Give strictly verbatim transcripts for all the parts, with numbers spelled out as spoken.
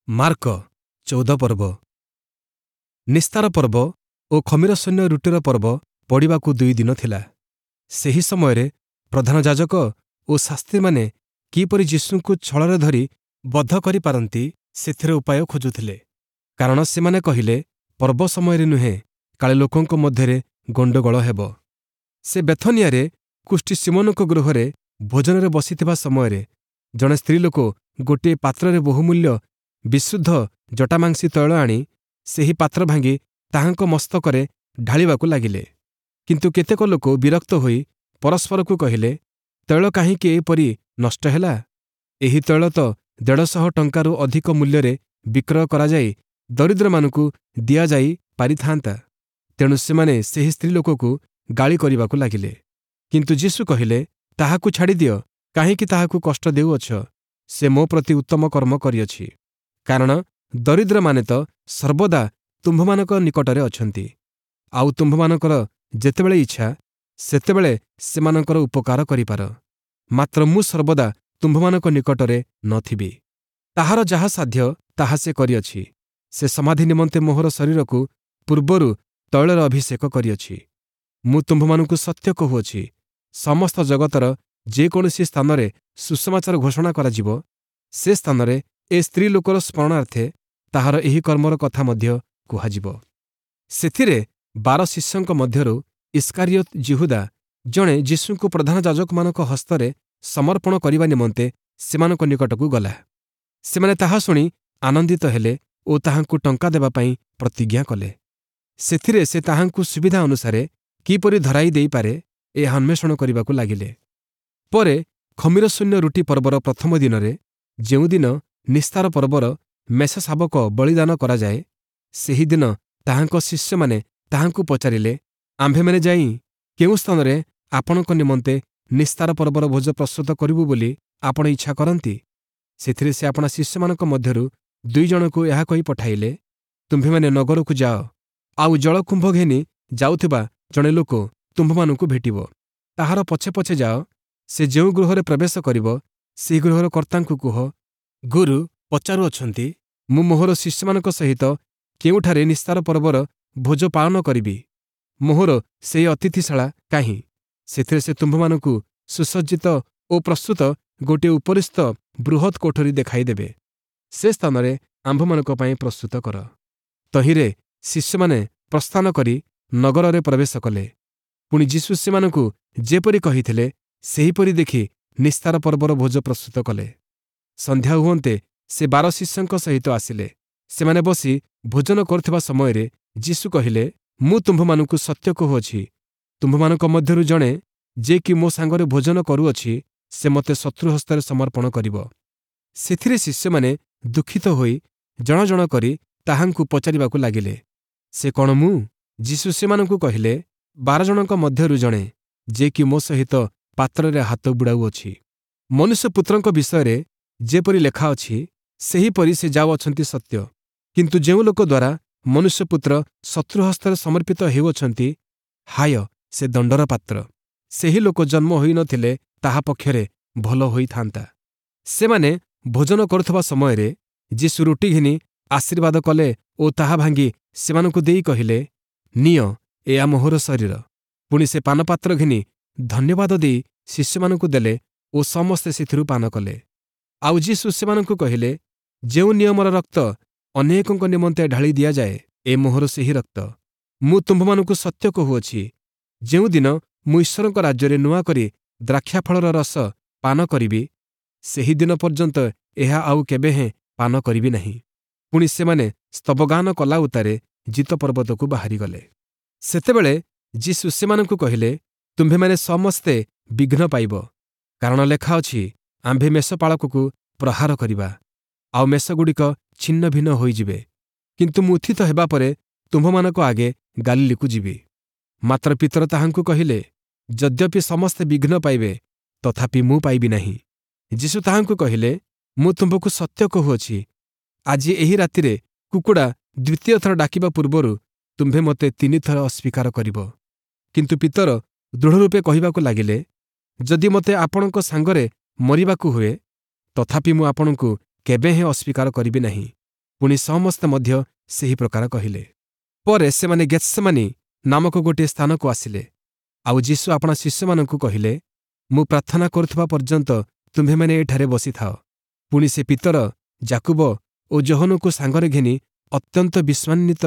Mark ଚଉଦ ପର୍ବ ନିସ୍ତାର ପର୍ବ ଓ ଖମୀରଶୂନ୍ୟ ରୁଟିର ପର୍ବ ପଡ଼ିବାକୁ ଦୁଇ ଦିନ ଥିଲା। ସେହି ସମୟରେ ପ୍ରଧାନ ଯାଜକ ଓ ଶାସ୍ତ୍ରୀମାନେ କିପରି ଯୀଶୁଙ୍କୁ ଛଳରେ ଧରି ବଧ କରିପାରନ୍ତି, ସେଥିର ଉପାୟ ଖୋଜୁଥିଲେ। କାରଣ ସେମାନେ କହିଲେ, ପର୍ବ ସମୟରେ ନୁହେଁ, କାଳେ ଲୋକଙ୍କ ମଧ୍ୟରେ ଗଣ୍ଡଗୋଳ ହେବ। ସେ ବେଥନିଆରେ କୁଷ୍ଠୀ ଶିମୋନଙ୍କ ଗୃହରେ ଭୋଜନରେ ବସିଥିବା ସମୟରେ ଜଣେ ସ୍ତ୍ରୀଲୋକ ଗୋଟିଏ ପାତ୍ରରେ ବହୁମୂଲ୍ୟ ବିଶୁଦ୍ଧ ଜଟାମାଂସୀ ତୈଳ ଆଣି ସେହି ପାତ୍ର ଭାଙ୍ଗି ତାହାଙ୍କ ମସ୍ତକରେ ଢାଳିବାକୁ ଲାଗିଲେ। କିନ୍ତୁ କେତେକ ଲୋକ ବିରକ୍ତ ହୋଇ ପରସ୍ପରକୁ କହିଲେ, ତୈଳ କାହିଁକି ଏପରି ନଷ୍ଟ ହେଲା? ଏହି ତୈଳ ତ ଦେଢ଼ଶହ ଟଙ୍କାରୁ ଅଧିକ ମୂଲ୍ୟରେ ବିକ୍ରୟ କରାଯାଇ ଦରିଦ୍ରମାନଙ୍କୁ ଦିଆଯାଇ ପାରିଥାଆନ୍ତା। ତେଣୁ ସେମାନେ ସେହି ସ୍ତ୍ରୀଲୋକକୁ ଗାଳି କରିବାକୁ ଲାଗିଲେ। କିନ୍ତୁ ଯୀଶୁ କହିଲେ, ତାହାକୁ ଛାଡ଼ିଦିଅ, କାହିଁକି ତାହାକୁ କଷ୍ଟ ଦେଉଅଛ? ସେ ମୋ ପ୍ରତି ଉତ୍ତମ କର୍ମ କରିଅଛି। କାରଣ ଦରିଦ୍ରମାନେ ତ ସର୍ବଦା ତୁମ୍ଭମାନଙ୍କ ନିକଟରେ ଅଛନ୍ତି, ଆଉ ତୁମ୍ଭମାନଙ୍କର ଯେତେବେଳେ ଇଚ୍ଛା ସେତେବେଳେ ସେମାନଙ୍କର ଉପକାର କରିପାର। ମାତ୍ର ମୁଁ ସର୍ବଦା ତୁମ୍ଭମାନଙ୍କ ନିକଟରେ ନ ଥିବି। ତାହାର ଯାହା ସାଧ୍ୟ ତାହା ସେ କରିଅଛି। ସେ ସମାଧି ନିମନ୍ତେ ମୋହର ଶରୀରକୁ ପୂର୍ବରୁ ତୈଳରେ ଅଭିଷେକ କରିଅଛି। ମୁଁ ତୁମ୍ଭମାନଙ୍କୁ ସତ୍ୟ କହୁଅଛି, ସମସ୍ତ ଜଗତର ଯେକୌଣସି ସ୍ଥାନରେ ସୁସମାଚାର ଘୋଷଣା କରାଯିବ, ସେ ସ୍ଥାନରେ ଏ ସ୍ତ୍ରୀ ଲୋକର ସ୍ମରଣାର୍ଥେ ତାହାର ଏହି କର୍ମର କଥା ମଧ୍ୟ କୁହାଯିବ। ସେଥିରେ ବାର ଶିଷ୍ୟଙ୍କ ମଧ୍ୟରୁ ଇସ୍କାରିୟୋତ ଯିହୁଦା ଜଣେ ଯୀଶୁଙ୍କୁ ପ୍ରଧାନ ଯାଜକମାନଙ୍କ ହସ୍ତରେ ସମର୍ପଣ କରିବା ନିମନ୍ତେ ସେମାନଙ୍କ ନିକଟକୁ ଗଲା। ସେମାନେ ତାହା ଶୁଣି ଆନନ୍ଦିତ ହେଲେ ଓ ତାହାଙ୍କୁ ଟଙ୍କା ଦେବା ପାଇଁ ପ୍ରତିଜ୍ଞା କଲେ। ସେଥିରେ ସେ ତାହାଙ୍କୁ ସୁବିଧା ଅନୁସାରେ କିପରି ଧରାଇ ଦେଇପାରେ, ଏହା ଅନ୍ୱେଷଣ କରିବାକୁ ଲାଗିଲେ। ପରେ ଖମୀରଶୂନ୍ୟ ରୁଟି ପର୍ବର ପ୍ରଥମ ଦିନରେ, ଯେଉଁଦିନ ନିସ୍ତାର ପର୍ବର ମେଷଶାବକ ବଳିଦାନ କରାଯାଏ, ସେହିଦିନ ତାହାଙ୍କ ଶିଷ୍ୟମାନେ ତାହାଙ୍କୁ ପଚାରିଲେ, ଆମ୍ଭେମାନେ ଯାଇ କେଉଁ ସ୍ଥାନରେ ଆପଣଙ୍କ ନିମନ୍ତେ ନିସ୍ତାର ପର୍ବର ଭୋଜ ପ୍ରସ୍ତୁତ କରିବୁ ବୋଲି ଆପଣ ଇଚ୍ଛା କରନ୍ତି? ସେଥିରେ ସେ ଆପଣା ଶିଷ୍ୟମାନଙ୍କ ମଧ୍ୟରୁ ଦୁଇ ଜଣଙ୍କୁ ଏହା କହି ପଠାଇଲେ, ତୁମ୍ଭେମାନେ ନଗରକୁ ଯାଅ, ଆଉ ଜଳକୁମ୍ଭ ଘେନି ଯାଉଥିବା ଜଣେ ଲୋକ ତୁମ୍ଭମାନଙ୍କୁ ଭେଟିବ। ତାହାର ପଛେ ପଛେ ଯାଅ। ସେ ଯେଉଁ ଗୃହରେ ପ୍ରବେଶ କରିବ, ସେହି ଗୃହର କର୍ତ୍ତାଙ୍କୁ କୁହ, ଗୁରୁ ପଚାରୁଅଛନ୍ତି, ମୁଁ ମୋହର ଶିଷ୍ୟମାନଙ୍କ ସହିତ କେଉଁଠାରେ ନିସ୍ତାର ପର୍ବର ଭୋଜ ପାଳନ କରିବି? ମୋହର ସେହି ଅତିଥିଶାଳା କାହିଁ? ସେଥିରେ ସେ ତୁମ୍ଭମାନଙ୍କୁ ସୁସଜ୍ଜିତ ଓ ପ୍ରସ୍ତୁତ ଗୋଟିଏ ଉପରିସ୍ଥ ବୃହତ୍ କୋଠରୀ ଦେଖାଇଦେବେ। ସେ ସ୍ଥାନରେ ଆମ୍ଭମାନଙ୍କ ପାଇଁ ପ୍ରସ୍ତୁତ କର। ତହିଁରେ ଶିଷ୍ୟମାନେ ପ୍ରସ୍ଥାନ କରି ନଗରରେ ପ୍ରବେଶ କଲେ। ପୁଣି ଯୀଶୁ ସେମାନଙ୍କୁ ଯେପରି କହିଥିଲେ, ସେହିପରି ଦେଖି ନିସ୍ତାର ପର୍ବର ଭୋଜ ପ୍ରସ୍ତୁତ କଲେ। ସନ୍ଧ୍ୟା ହୁଅନ୍ତେ ସେ ବାର ଶିଷ୍ୟଙ୍କ ସହିତ ଆସିଲେ। ସେମାନେ ବସି ଭୋଜନ କରୁଥିବା ସମୟରେ ଯୀଶୁ କହିଲେ, ମୁଁ ତୁମ୍ଭମାନଙ୍କୁ ସତ୍ୟ କହୁଅଛି, ତୁମ୍ଭମାନଙ୍କ ମଧ୍ୟରୁ ଜଣେ, ଯେ କି ମୋ ସାଙ୍ଗରେ ଭୋଜନ କରୁଅଛି, ସେ ମୋତେ ଶତ୍ରୁ ହସ୍ତରେ ସମର୍ପଣ କରିବ। ସେଥିରେ ଶିଷ୍ୟମାନେ ଦୁଃଖିତ ହୋଇ ଜଣ ଜଣ କରି ତାହାଙ୍କୁ ପଚାରିବାକୁ ଲାଗିଲେ, ସେ କ'ଣ ମୁଁ? ଯୀଶୁ ସେମାନଙ୍କୁ କହିଲେ, ବାର ଜଣଙ୍କ ମଧ୍ୟରୁ ଜଣେ, ଯେ କି ମୋ ସହିତ ପାତ୍ରରେ ହାତ ବୁଡ଼ାଉଅଛି। ମନୁଷ୍ୟପୁତ୍ରଙ୍କ ବିଷୟରେ ଯେପରି ଲେଖା ଅଛି, ସେହିପରି ସେ ଯାଉଅଛନ୍ତି ସତ୍ୟ। କିନ୍ତୁ ଯେଉଁ ଲୋକ ଦ୍ୱାରା ମନୁଷ୍ୟପୁତ୍ର ଶତ୍ରୁ ହସ୍ତରେ ସମର୍ପିତ ହେଉଅଛନ୍ତି, ହାୟ, ସେ ଦଣ୍ଡର ପାତ୍ର! ସେହି ଲୋକ ଜନ୍ମ ହୋଇନଥିଲେ ତାହା ପକ୍ଷରେ ଭଲ ହୋଇଥାନ୍ତା। ସେମାନେ ଭୋଜନ କରୁଥିବା ସମୟରେ ଯୀଶୁ ରୁଟି ଘେନି ଆଶୀର୍ବାଦ କଲେ ଓ ତାହା ଭାଙ୍ଗି ସେମାନଙ୍କୁ ଦେଇ କହିଲେ, ନିଅ, ଏହା ମୋହର ଶରୀର। ପୁଣି ସେ ପାନପାତ୍ର ଘେନି ଧନ୍ୟବାଦ ଦେଇ ଶିଷ୍ୟମାନଙ୍କୁ ଦେଲେ ଓ ସମସ୍ତେ ସେଥିରୁ ପାନ କଲେ। ଆଉ ଯୀଶୁ ସେମାନଙ୍କୁ କହିଲେ, ଯେଉଁ ନିୟମର ରକ୍ତ ଅନେକଙ୍କ ନିମନ୍ତେ ଢାଳି ଦିଆଯାଏ, ଏ ମୋହର ସେହି ରକ୍ତ। ମୁଁ ତୁମ୍ଭମାନଙ୍କୁ ସତ୍ୟ କହୁଅଛି, ଯେଉଁଦିନ ମୁଁ ଈଶ୍ୱରଙ୍କ ରାଜ୍ୟରେ ନୂଆ କରି ଦ୍ରାକ୍ଷାଫଳର ରସ ପାନ କରିବି, ସେହିଦିନ ପର୍ଯ୍ୟନ୍ତ ଏହା ଆଉ କେବେହେଁ ପାନ କରିବି ନାହିଁ। ପୁଣି ସେମାନେ ସ୍ତବଗାନ କଲା ଉତ୍ତାରେ ଜୀତ ପର୍ବତକୁ ବାହାରିଗଲେ। ସେତେବେଳେ ଯୀଶୁ ସେମାନଙ୍କୁ କହିଲେ, ତୁମ୍ଭେମାନେ ସମସ୍ତେ ବିଘ୍ନ ପାଇବ, କାରଣ ଲେଖା ଅଛି, ଆମ୍ଭେ ମେଷପାଳକକୁ ପ୍ରହାର କରିବା, ଆଉ ମେଷଗୁଡ଼ିକ ଛିନ୍ନ ଭିନ୍ନ ହୋଇଯିବେ। କିନ୍ତୁ ମୁଁ ଉତ୍ଥିତ ହେବା ପରେ ତୁମ୍ଭମାନଙ୍କ ଆଗେ ଗାଲିଲୀକୁ ଯିବି। ମାତ୍ର ପିତର ତାହାଙ୍କୁ କହିଲେ, ଯଦ୍ୟପି ସମସ୍ତେ ବିଘ୍ନ ପାଇବେ, ତଥାପି ମୁଁ ପାଇବି ନାହିଁ। ଯୀଶୁ ତାହାଙ୍କୁ କହିଲେ, ମୁଁ ତୁମ୍ଭକୁ ସତ୍ୟ କହୁଅଛି, ଆଜି ଏହି ରାତିରେ କୁକୁଡ଼ା ଦ୍ୱିତୀୟ ଥର ଡାକିବା ପୂର୍ବରୁ ତୁମ୍ଭେ ମୋତେ ତିନିଥର ଅସ୍ୱୀକାର କରିବ। କିନ୍ତୁ ପିତର ଦୃଢ଼ରୂପେ କହିବାକୁ ଲାଗିଲେ, ଯଦି ମୋତେ ଆପଣଙ୍କ ସାଙ୍ଗରେ ମରିବାକୁ ହୁଏ, ତଥାପି ମୁଁ ଆପଣଙ୍କୁ କେବେହେଁ ଅସ୍ୱୀକାର କରିବି ନାହିଁ। ପୁଣି ସମସ୍ତେ ମଧ୍ୟ ସେହି ପ୍ରକାର କହିଲେ। ପରେ ସେମାନେ ଗେତ୍ସେମାନି ନାମକ ଗୋଟିଏ ସ୍ଥାନକୁ ଆସିଲେ। ଆଉ ଯୀଶୁ ଆପଣା ଶିଷ୍ୟମାନଙ୍କୁ କହିଲେ, ମୁଁ ପ୍ରାର୍ଥନା କରୁଥିବା ପର୍ଯ୍ୟନ୍ତ ତୁମ୍ଭେମାନେ ଏଠାରେ ବସିଥାଅ। ପୁଣି ସେ ପିତର, ଯାକୁବ ଓ ଯୋହନଙ୍କୁ ସାଙ୍ଗରେ ଘେନି ଅତ୍ୟନ୍ତ ବିଷାନ୍ୱିତ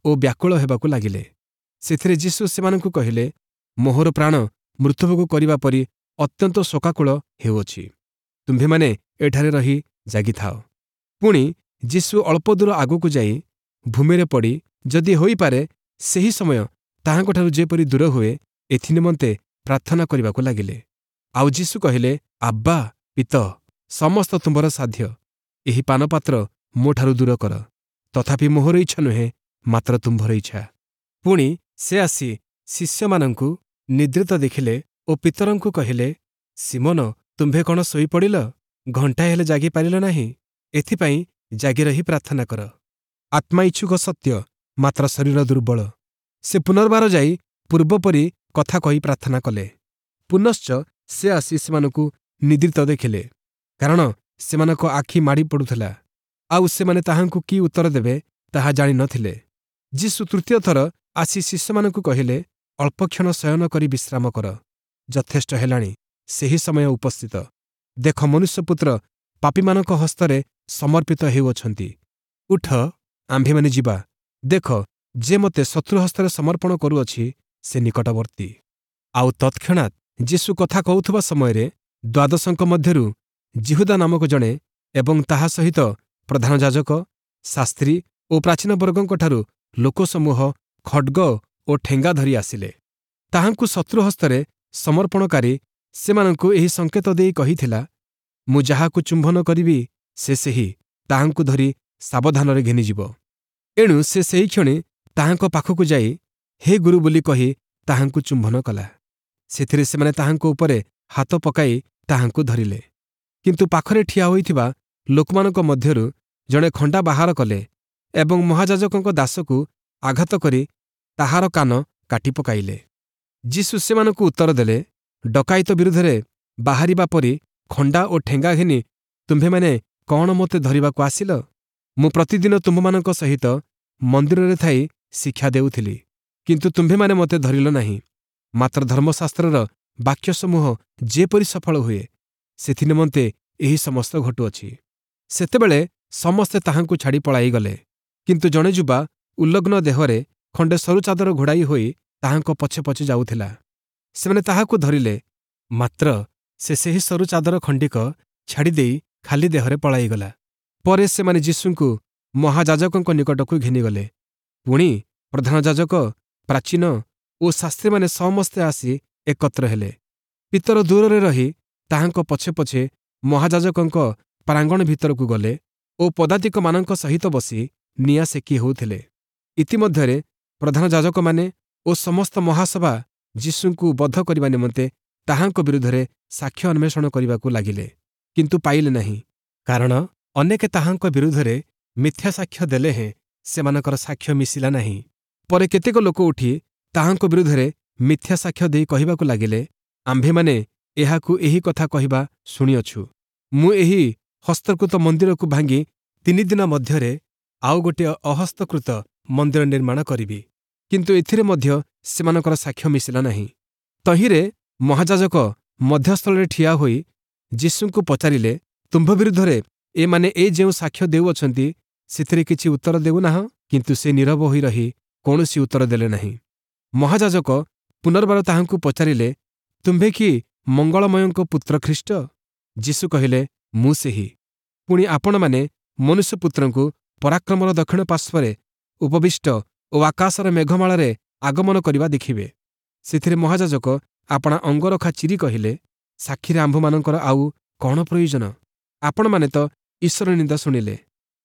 ଓ ବ୍ୟାକୁଳ ହେବାକୁ ଲାଗିଲେ। ସେଥିରେ ଯୀଶୁ ସେମାନଙ୍କୁ କହିଲେ, ମୋହର ପ୍ରାଣ ମୃତ୍ୟୁଭୋଗ କରିବା ପରି ଅତ୍ୟନ୍ତ ଶୋକାକୁଳ ହେଉଅଛି। ତୁମ୍ଭେମାନେ ଏଠାରେ ରହି ଜାଗିଥାଅ। ପୁଣି ଯୀଶୁ ଅଳ୍ପ ଦୂର ଆଗକୁ ଯାଇ ଭୂମିରେ ପଡ଼ି ଯଦି ହୋଇପାରେ ସେହି ସମୟ ତାହାଙ୍କଠାରୁ ଯେପରି ଦୂର ହୁଏ, ଏଥିନିମନ୍ତେ ପ୍ରାର୍ଥନା କରିବାକୁ ଲାଗିଲେ। ଆଉ ଯୀଶୁ କହିଲେ, ଆବ୍ବା ପିତଃ, ସମସ୍ତ ତୁମ୍ଭର ସାଧ୍ୟ, ଏହି ପାନପାତ୍ର ମୋଠାରୁ ଦୂର କର। ତଥାପି ମୋହର ଇଚ୍ଛା ନୁହେଁ, ମାତ୍ର ତୁମ୍ଭର ଇଚ୍ଛା। ପୁଣି ସେ ଆସି ଶିଷ୍ୟମାନଙ୍କୁ ନିଦ୍ରିତ ଦେଖିଲେ ଓ ପିତରଙ୍କୁ କହିଲେ, ଶିମୋନ, ତୁମ୍ଭେ କ'ଣ ଶୋଇପଡ଼ିଲ? ଘଣ୍ଟାଏ ହେଲେ ଜାଗିପାରିଲ ନାହିଁ? ଏଥିପାଇଁ ଜାଗି ରହି ପ୍ରାର୍ଥନା କର। ଆତ୍ମା ଇଚ୍ଛୁକ ସତ୍ୟ, ମାତ୍ର ଶରୀର ଦୁର୍ବଳ। ସେ ପୁନର୍ବାର ଯାଇ ପୂର୍ବପରି କଥା କହି ପ୍ରାର୍ଥନା କଲେ। ପୁନଶ୍ଚ ସେ ଆସି ସେମାନଙ୍କୁ ନିଦ୍ରିତ ଦେଖିଲେ, କାରଣ ସେମାନଙ୍କ ଆଖି ମାଡ଼ି ପଡ଼ୁଥିଲା, ଆଉ ସେମାନେ ତାହାଙ୍କୁ କି ଉତ୍ତର ଦେବେ ତାହା ଜାଣି ନଥିଲେ। ଯୀଶୁ ତୃତୀୟ ଥର ଆସି ଶିଷ୍ୟମାନଙ୍କୁ କହିଲେ, ଅଳ୍ପକ୍ଷଣ ଶୟନ କରି ବିଶ୍ରାମ କର। ଯଥେଷ୍ଟ ହେଲାଣି, ସେହି ସମୟ ଉପସ୍ଥିତ। ଦେଖ, ମନୁଷ୍ୟପୁତ୍ର ପାପୀମାନଙ୍କ ହସ୍ତରେ ସମର୍ପିତ ହେଉଅଛନ୍ତି। ଉଠ, ଆମ୍ଭେମାନେ ଯିବା। ଦେଖ, ଯେ ମୋତେ ଶତ୍ରୁ ହସ୍ତରେ ସମର୍ପଣ କରୁଅଛି, ସେ ନିକଟବର୍ତ୍ତୀ। ଆଉ ତତ୍କ୍ଷଣାତ୍ ଯୀଶୁ କଥା କହୁଥିବା ସମୟରେ ଦ୍ୱାଦଶଙ୍କ ମଧ୍ୟରୁ ଯିହୁଦା ନାମକ ଜଣେ ଏବଂ ତାହା ସହିତ ପ୍ରଧାନ ଯାଜକ, ଶାସ୍ତ୍ରୀ ଓ ପ୍ରାଚୀନବର୍ଗଙ୍କଠାରୁ ଲୋକସମୂହ ଖଡ୍ଗ ଓ ଠେଙ୍ଗା ଧରି ଆସିଲେ। ତାହାଙ୍କୁ ଶତ୍ରୁ ହସ୍ତରେ ସମର୍ପଣକାରୀ ସେମାନଙ୍କୁ ଏହି ସଂକେତ ଦେଇ କହିଥିଲା, ମୁଁ ଯାହାକୁ ଚୁମ୍ବନ କରିବି ସେ ସେହି, ତାହାଙ୍କୁ ଧରି ସାବଧାନରେ ଘେନିଯିବ। ଏଣୁ ସେ ସେହିକ୍ଷଣି ତାହାଙ୍କ ପାଖକୁ ଯାଇ ହେ ଗୁରୁ ବୋଲି କହି ତାହାଙ୍କୁ ଚୁମ୍ବନ କଲା। ସେଥିରେ ସେମାନେ ତାହାଙ୍କ ଉପରେ ହାତ ପକାଇ ତାହାଙ୍କୁ ଧରିଲେ। କିନ୍ତୁ ପାଖରେ ଠିଆ ହୋଇଥିବା ଲୋକମାନଙ୍କ ମଧ୍ୟରୁ ଜଣେ ଖଣ୍ଡା ବାହାର କଲେ ଏବଂ ମହାଯାଜକଙ୍କ ଦାସକୁ ଆଘାତ କରି ତାହାର କାନ କାଟି ପକାଇଲେ। ଯୀଶୁ ସେମାନଙ୍କୁ ଉତ୍ତର ଦେଲେ, ଡକାୟତ ବିରୁଦ୍ଧରେ ବାହାରିବା ପରି ଖଣ୍ଡା ଓ ଠେଙ୍ଗା ଘେନି ତୁମ୍ଭେମାନେ କ'ଣ ମୋତେ ଧରିବାକୁ ଆସିଲ? ମୁଁ ପ୍ରତିଦିନ ତୁମ୍ଭମାନଙ୍କ ସହିତ ମନ୍ଦିରରେ ଥାଇ ଶିକ୍ଷା ଦେଉଥିଲି, କିନ୍ତୁ ତୁମ୍ଭେମାନେ ମୋତେ ଧରିଲ ନାହିଁ। ମାତ୍ର ଧର୍ମଶାସ୍ତ୍ରର ବାକ୍ୟସମୂହ ଯେପରି ସଫଳ ହୁଏ, ସେଥିନିମନ୍ତେ ଏହି ସମସ୍ତ ଘଟୁଅଛି। ସେତେବେଳେ ସମସ୍ତେ ତାହାଙ୍କୁ ଛାଡ଼ି ପଳାଇଗଲେ। କିନ୍ତୁ ଜଣେ ଯୁବା ଉଲଗ୍ନ ଦେହରେ ଖଣ୍ଡେ ସରୁ ଚାଦର ଘୋଡ଼ାଇ ହୋଇ ତାହାଙ୍କ ପଛେ ପଛେ ଯାଉଥିଲା। ସେମାନେ ତାହାକୁ ଧରିଲେ, ମାତ୍ର ସେ ସେହି ସରୁ ଚାଦର ଖଣ୍ଡିକ ଛାଡ଼ିଦେଇ ଖାଲି ଦେହରେ ପଳାଇଗଲା। ପରେ ସେମାନେ ଯୀଶୁଙ୍କୁ ମହାଯାଜକଙ୍କ ନିକଟକୁ ଘେନିଗଲେ। ପୁଣି ପ୍ରଧାନ ଯାଜକ, ପ୍ରାଚୀନ ଓ ଶାସ୍ତ୍ରୀମାନେ ସମସ୍ତେ ଆସି ଏକତ୍ର ହେଲେ। ପିତର ଦୂରରେ ରହି ତାହାଙ୍କ ପଛେ ପଛେ ମହାଯାଜକଙ୍କ ପ୍ରାଙ୍ଗଣ ଭିତରକୁ ଗଲେ ଓ ପଦାତିକମାନଙ୍କ ସହିତ ବସି ନିଆଁ ସେକି ହେଉଥିଲେ। ଇତିମଧ୍ୟରେ ପ୍ରଧାନ ଯାଜକମାନେ ଓ ସମସ୍ତ ମହାସଭା ଯୀଶୁଙ୍କୁ ବଧ କରିବା ନିମନ୍ତେ ତାହାଙ୍କ ବିରୁଦ୍ଧରେ ସାକ୍ଷ୍ୟ ଅନ୍ୱେଷଣ କରିବାକୁ ଲାଗିଲେ, କିନ୍ତୁ ପାଇଲେ ନାହିଁ। କାରଣ ଅନେକେ ତାହାଙ୍କ ବିରୁଦ୍ଧରେ ମିଥ୍ୟା ସାକ୍ଷ୍ୟ ଦେଲେ ହେଁ ସେମାନଙ୍କର ସାକ୍ଷ୍ୟ ମିଶିଲା ନାହିଁ। ପରେ କେତେକ ଲୋକ ଉଠି ତାହାଙ୍କ ବିରୁଦ୍ଧରେ ମିଥ୍ୟା ସାକ୍ଷ୍ୟ ଦେଇ କହିବାକୁ ଲାଗିଲେ, ଆମ୍ଭେମାନେ ଏହାକୁ ଏହି କଥା କହିବା ଶୁଣିଅଛୁ, ମୁଁ ଏହି ହସ୍ତକୃତ ମନ୍ଦିରକୁ ଭାଙ୍ଗି ତିନି ଦିନ ମଧ୍ୟରେ ଆଉ ଗୋଟିଏ ଅହସ୍ତକୃତ ମନ୍ଦିର ନିର୍ମାଣ କରିବି। କିନ୍ତୁ ଏଥିରେ ମଧ୍ୟ ସେମାନଙ୍କର ସାକ୍ଷ୍ୟ ମିଶିଲା ନାହିଁ। ତହିଁରେ ମହାଯାଜକ ମଧ୍ୟସ୍ଥଳରେ ଠିଆ ହୋଇ ଯୀଶୁଙ୍କୁ ପଚାରିଲେ, ତୁମ୍ଭ ବିରୁଦ୍ଧରେ ଏମାନେ ଏ ଯେଉଁ ସାକ୍ଷ୍ୟ ଦେଉଅଛନ୍ତି, ସେଥିରେ କିଛି ଉତ୍ତର ଦେଉନାହଁ? କିନ୍ତୁ ସେ ନୀରବ ହୋଇ ରହି କୌଣସି ଉତ୍ତର ଦେଲେ ନାହିଁ। ମହାଯାଜକ ପୁନର୍ବାର ତାହାଙ୍କୁ ପଚାରିଲେ, ତୁମ୍ଭେ କି ମଙ୍ଗଳମୟଙ୍କ ପୁତ୍ର ଖ୍ରୀଷ୍ଟ? ଯୀଶୁ କହିଲେ, ମୁଁ ସେହି। ପୁଣି ଆପଣମାନେ ମନୁଷ୍ୟପୁତ୍ରଙ୍କୁ ପରାକ୍ରମର ଦକ୍ଷିଣ ପାର୍ଶ୍ୱରେ ଉପବିଷ୍ଟ ଓ ଆକାଶର ମେଘମାଳାରେ ଆଗମନ କରିବା ଦେଖିବେ। ସେଥିରେ ମହାଯାଜକ ଆପଣା ଅଙ୍ଗରଖା ଚିରି କହିଲେ, ସାକ୍ଷୀରେ ଆମ୍ଭମାନଙ୍କର ଆଉ କ'ଣ ପ୍ରୟୋଜନ? ଆପଣମାନେ ତ ଈଶ୍ୱର ନିନ୍ଦା ଶୁଣିଲେ,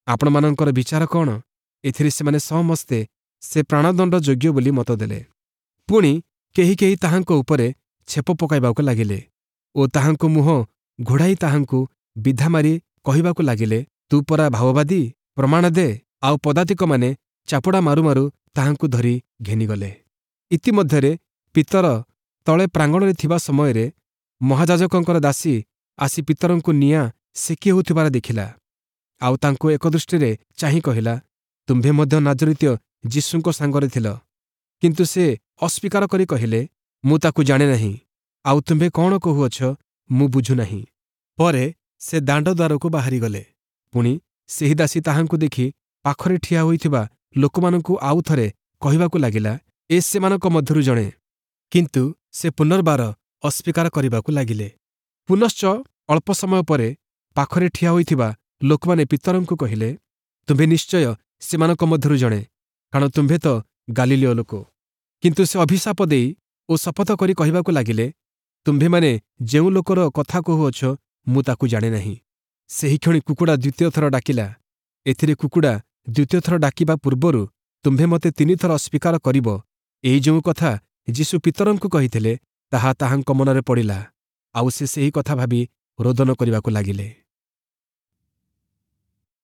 ଆପଣମାନଙ୍କର ବିଚାର କ'ଣ? ଏଥିରେ ସେମାନେ ସମସ୍ତେ ସେ ପ୍ରାଣଦଣ୍ଡ ଯୋଗ୍ୟ ବୋଲି ମତ ଦେଲେ। ପୁଣି କେହି କେହି ତାହାଙ୍କ ଉପରେ ଛେପ ପକାଇବାକୁ ଲାଗିଲେ ଓ ତାହାଙ୍କ ମୁହଁ ଘୋଡ଼ାଇ ତାହାଙ୍କୁ ବିଧା ମାରି କହିବାକୁ ଲାଗିଲେ, ତୁ ପରା ଭାବବାଦୀ, ପ୍ରମାଣ ଦେ। ଆଉ ପଦାତିକମାନେ ଚାପୁଡ଼ା ମାରୁ ମାରୁ ତାହାଙ୍କୁ ଧରି ଘେନିଗଲେ। ଇତିମଧ୍ୟରେ ପିତର ତଳେ ପ୍ରାଙ୍ଗଣରେ ଥିବା ସମୟରେ ମହାଯାଜକଙ୍କର ଦାସୀ ଆସି ପିତରଙ୍କୁ ନିଆଁ ସେକି ହେଉଥିବାର ଦେଖିଲା। ଆଉ ତାଙ୍କୁ ଏକ ଦୃଷ୍ଟିରେ ଚାହିଁ କହିଲା, ତୁମ୍ଭେ ମଧ୍ୟ ନାଜରିତୀୟ ଯୀଶୁଙ୍କ ସାଙ୍ଗରେ ଥିଲ। କିନ୍ତୁ ସେ ଅସ୍ୱୀକାର କରି କହିଲେ, ମୁଁ ତାକୁ ଜାଣେ ନାହିଁ, ଆଉ ତୁମ୍ଭେ କଣ କହୁଅଛ ମୁଁ ବୁଝୁନାହିଁ। ପରେ ସେ ଦାଣ୍ଡ ଦ୍ୱାରକୁ ବାହାରିଗଲେ। ପୁଣି ସେହି ଦାସୀ ତାହାଙ୍କୁ ଦେଖି ପାଖରେ ଠିଆ ହୋଇଥିବା ଲୋକମାନଙ୍କୁ ଆଉ ଥରେ କହିବାକୁ ଲାଗିଲା, ଏ ସେମାନଙ୍କ ମଧ୍ୟରୁ ଜଣେ। କିନ୍ତୁ ସେ ପୁନର୍ବାର ଅସ୍ୱୀକାର କରିବାକୁ ଲାଗିଲେ। ପୁନଶ୍ଚ ଅଳ୍ପ ସମୟ ପରେ ପାଖରେ ଠିଆ ହୋଇଥିବା ଲୋକମାନେ ପିତରଙ୍କୁ କହିଲେ, ତୁମ୍ଭେ ନିଶ୍ଚୟ ସେମାନଙ୍କ ମଧ୍ୟରୁ ଜଣେ, କାରଣ ତୁମ୍ଭେ ତ ଗାଲିଲୀୟ ଲୋକ। କିନ୍ତୁ ସେ ଅଭିଶାପ ଦେଇ ଓ ଶପଥ କରି କହିବାକୁ ଲାଗିଲେ, ତୁମ୍ଭେମାନେ ଯେଉଁ ଲୋକର କଥା କହୁଅଛ ମୁଁ ତାକୁ ଜାଣେ ନାହିଁ। ସେହିକ୍ଷଣି କୁକୁଡ଼ା ଦ୍ୱିତୀୟ ଥର ଡାକିଲା। ଏଥିରେ କୁକୁଡ଼ା ଦ୍ୱିତୀୟ ଥର ଡାକିବା ପୂର୍ବରୁ ତୁମ୍ଭେ ମୋତେ ତିନିଥର ଅସ୍ୱୀକାର କରିବ, ଏହି ଯେଉଁ କଥା ଯୀଶୁ ପିତରଙ୍କୁ କହିଥିଲେ ତାହା ତାହାଙ୍କ ମନରେ ପଡ଼ିଲା, ଆଉ ସେ ସେହି କଥା ଭାବି ରୋଦନ କରିବାକୁ ଲାଗିଲେ।